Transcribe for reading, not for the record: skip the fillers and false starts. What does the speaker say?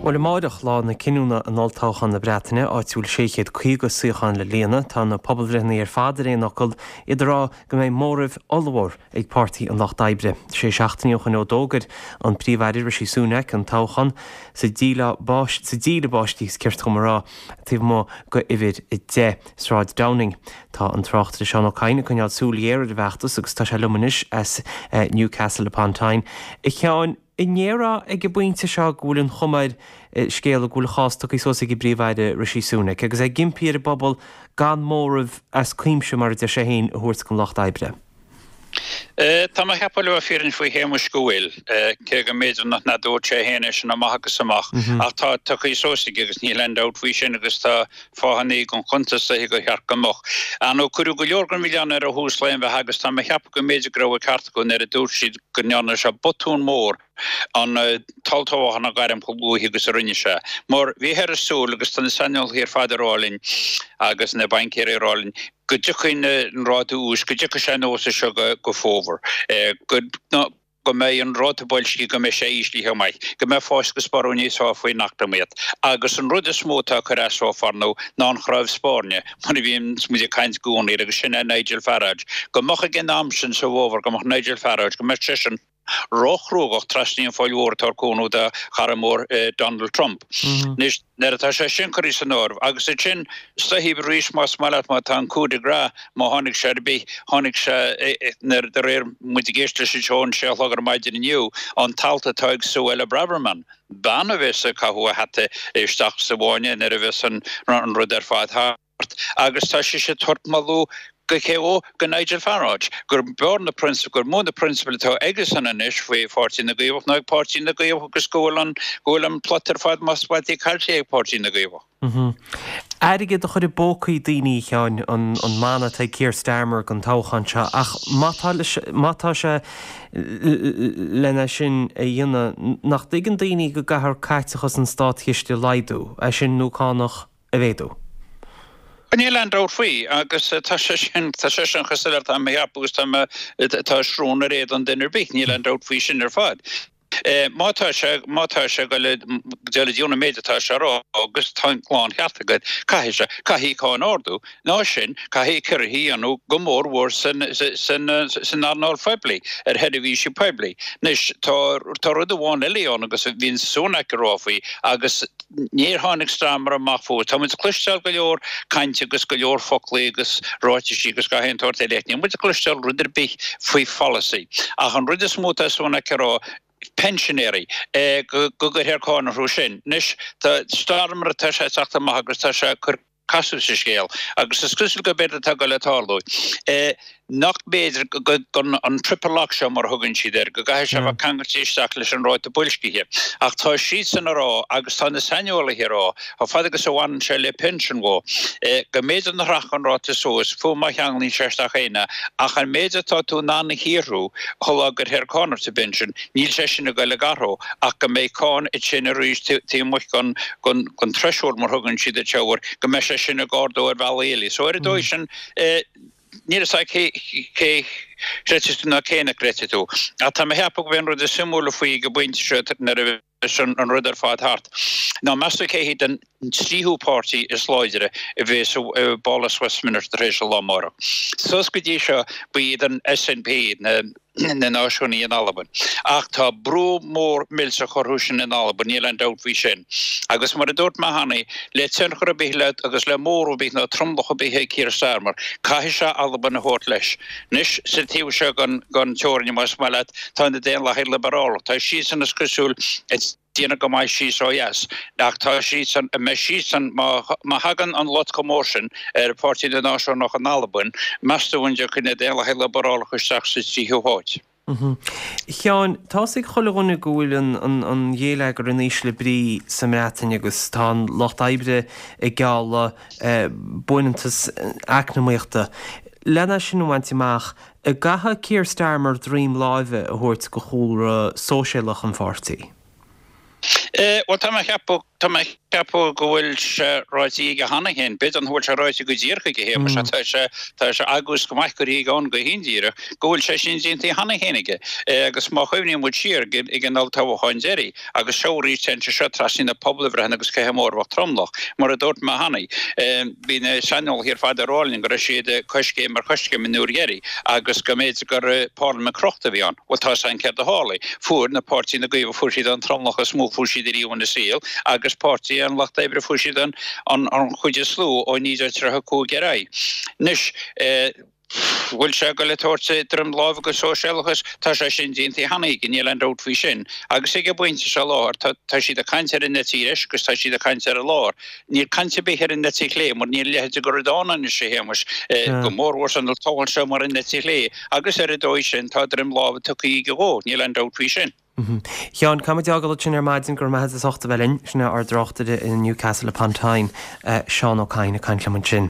Bhuel, amáireach, lá na cinniúna in olltoghchán na Breataine, áit a bhfuil 650 suíochán le líonadh, tá na pobalbhreitheanna ar fad ar aon fhocal, iad ag rá go mbeidh móramh ollmhór ag Páirtí an Lucht Oibre. Sé seachtainí ó shoin ó d'fhógair an Príomh-Aire Rishi Sunak an toghchán, sa díle báistí is ceart dom a rá, taobh amuigh de uimhir 10, Sráid Downing. Tá an tráchtaire Seán Ó Cadhain ag coinneáil súil ghéar ar an bhfeachtas agus tá sé liom anois as Newcastle upon Tyne. A Sheáin, An ndéarfá ag an bpointe seo go bhfuil an chuma ar an scéal go bhfuil a chás tugtha suas ag an bPríomh-Aire Rishi Sunak agus é ag impí ar an bpobal gan móramh as cuimse, mar a deir sé féin, a thabhairt don Lucht Oibre? Tá mé a cheapadh le bheith fírinneach faoi Shéamuis go bhfuil, cé go mb'fhéidir nach ndúirt sé féin é sin amach agus amach, ach tá tugtha suas aige agus níl aon dabht faoi sin agus tá fáthannaí don chuntas dóiche gur cheart go mbeadh. Ar ndóigh cuireadh go leor den mhilleán air ó thús lae an bheatha agus tá mé a cheapadh go mb'fhéidir go raibh an ceart acu nuair a dúirt siad go ndearna sé botún mór an t-olltoghchán a ghairm chomh luath agus a rinne sé. Mar bhíothas ag súil, agus tá na saineolaithe ar fad ag rá linn agus na baincéirí ag rá linn, go dtiocfaidh an ráta úis, go dtiocfaidh sé anuas as seo go fómhar, go. go mbeidh an ráta boilscithe, go mbeidh sé íslithe go maith, go mbeidh fás agus borradh níos fearr faoin eacnamaíocht. Agus an rud is mó atá ag cur as so far now ná an chnámh spairne, mar a bhíonn muid ag caint i gcónaí air, agus sin é Nigel Farage. Go mbeadh ag an am sin sa bhfómhar, go mbeadh Nigel Farage, go mbeadh seisean róchruógach trasna an Phoill Mhór ag tabhairt cúnamh dá chara mór Donald Trump. Anois, nuair atá sé sin curtha san áireamh, agus ansin is dóichí arís más maith leat, má tá an coup de grace, má tháinig sé ar bith, tháinig sé nuair, de réir muid ag éisteacht leis an seó an sé a chlog ar maidin inniu, an t-alt atá ag Suella Braverman, bean a bheas ag caitheamh a hata isteach sa bhfáinne nuair a bheas an rud ar fad thart. Agus tá sise ag tabhairt moladh go cé dhó? Go Nigel Farage, gur b'fhearr na prionsabail, gur mó na prionsabail atá aigesan anois faoi Pháirtí na gCaomhach ná ag Páirtí na gCaomhach agus go bhfuil an, go bhfuil an plot ar fad más maith leat caillte ag Páirtí na gCaomhach. Airgead a chur i bpócaí daoine, a Sheáin, an mana atá ag Keir Starmer don toghchán seo ach má tá má tá sé lena sin a dhéanamh, nach dtuigeann daoine go gcaithfear caiteachas an státchiste a laghdú, é sin nó cánach a mhéadú? Níl aon dabht faoi agus tá sé sin, tá sé sin chomh soiléir, tá mé a cheapadh agus tá mé, tá srón ar éadan duine ar bith, níl aon dabht faoi sin ar fad. Má tá sé, má tá sé ag dul a déanamh an méid atá sé a rá agus tá an láncheart agat, caithfidh sé, caithfidh cáin a ardú, ná sin, caithfidh ciorruithe a dhéanamh go mór mhór san, san, san earnáil phoiblí, ar sheirbhísí poiblí. Anois, tá, tá rud amháin eile ann agus bhíonn Sunak ag rá faoi agus Níor tháinig Starmer amach fós. Tá muid ag cloisteáil go leor cainte agus go leor foclaí agus ráitisí agus gach aon tsórt eile ach níl muid ag cloisteáil rud ar bith faoi pholasaí. Ach an rud is mó atá Sunak ag rá, pensinéirí, go gcuirfear cáin orthu sin. Anois, tá Starmer, tá sé ag teacht amach agus tá sé ag cur casadh sa scéal agus is cosúil gurb éard atá ag dul a tarlú. Nach mb'fhéidir go an triple lock seo mar a thugann siad air, go gcaithfidh sé a bheith ceangailte isteach leis an ráta boilscithe. Ach tá siadsan ag rá, agus tá na saineolaithe ag rá, chomh fada agus a bhaineann sé le pinsin dhó, go mb'fhéidir nach rachadh an ráta suas, fiú má cheanglaíonn sé isteach é, ach an méid atá tú in ann a shaothrú shula gcuirfear cáin ort sa bpinsean, níl sé sin ag dul ag athrú ach go mbeidh cáin ansin arís taobh amuigh den threshold mar thugann siad air seo, go mbeidh sé sin ag ardú ar bhealaí eile. So ar an dóigh sin, níl a fhios agam cé chreidfidh tú ná cé nach gcreidfidh tú. Ach tá mé a cheapadh gurb é an rud is suimiúla faoi ag an bpointe seo nuair a bheas an rud ar fad thart, ná meas tú cé hiad an tríú páirtí is láidre a bheas i bPálás Westminster tar éis an lá amárach. Suas go dtí seo ba iad an SNP, na. na Náisiúnaigh in Albain. Ach tá brú mór millteach orthu sin in Albain, níl aon dabht faoi sin. Agus mar a dúirt mé cheana, le tionchar ar bith le agus le móramh ar bith nó tromlach ar bith ag Keir Starmer, caithfidh sé Albain a thabhairt leis. Anois, sa taobh seo den teorainn, más maith leat, tá na Daonlathaigh Liobrálach. Tá siadsan, is cosúil, ag déanamh go maith síos ó dheas. Ach tá siadsan, an mbeidh siadsan, má thagann an lot chomh mór sin ar Pháirtí na Náisiúnach in Albain, meas tú an dtiocfaidh na Daonlathaigh Liobrálacha isteach sa tríú háit? A Sheáin, tá's ag chuile dhuine go bhfuil an ghéilleagar in ísle brí sa mBreatain agus tá an lucht oibre ag gealladh buanfhiántas eacnamaíochta. Lena sin a bhaint amach, an gcaithfidh Keir Starmer droim láimhe a thabhairt do chúlra sóisialach an pháirtí? Bhuel, tá mé a cheapadh, tá mé a cheapadh go bhfuil sé ráite aige cheana féin. B'fhéidir nach bhfuil sé ráite go díreach aige, a Shéamais, ach tá sé, tá sé agús go maith go ríg ann go hindíreach go bhfuil sé sin déanta cheana féin aige. Agus má chuimhníonn muid siar ag an olltoghchán deiridh, agus seo arís téann sé seo trasna na pobalbhreitheanna agus cé hé mór a bheadh tromlach, mar a dúirt mé cheana, bhí na saineolaithe ar fad ag rá linn go raibh siad coiscéim ar choiscéim an uair dheiridh agus go mb'fhéidir gur parlaimint crochta a bhí ann. Bhuel, tá 's againn céard a tharlaigh. Fuair na páirtí na Caomhaigh, fuair siad an tromlach is mó fuair siad ariamh ina saol agus páirtí an Lucht Oibre fuair siad an an chuid is lú ó 1935 ar aghaidh. Anois, bhfuil sé ag dul ag tabhairt droim láimhe go sóisialachas? Tá sé sin déanta cheana aige, níl aon dabht faoi sin. Agus ag an bpointe seo i láthair, tá tá siad ag caint ar an eite dheis agus tá siad ag caint ar an lár. Níl caint ar bith ar an eite chlé mar níl a leithéid de rud ann anois, a Shéamais, go mórmhór san olltoghchán seo mar an eite chlé agus ar an dóigh sin tá droim láimhe tugtha aige dhó, níl aon dabht faoi sin. Sheáin, caithfidh muid a fhágáil ansin ar maidin, go raibh maith agat as ucht a bheith linn. Sin é ár dtráchtaire i Newcastle upon Tyne, Seán Ó Cadhain ag caint liom ansin.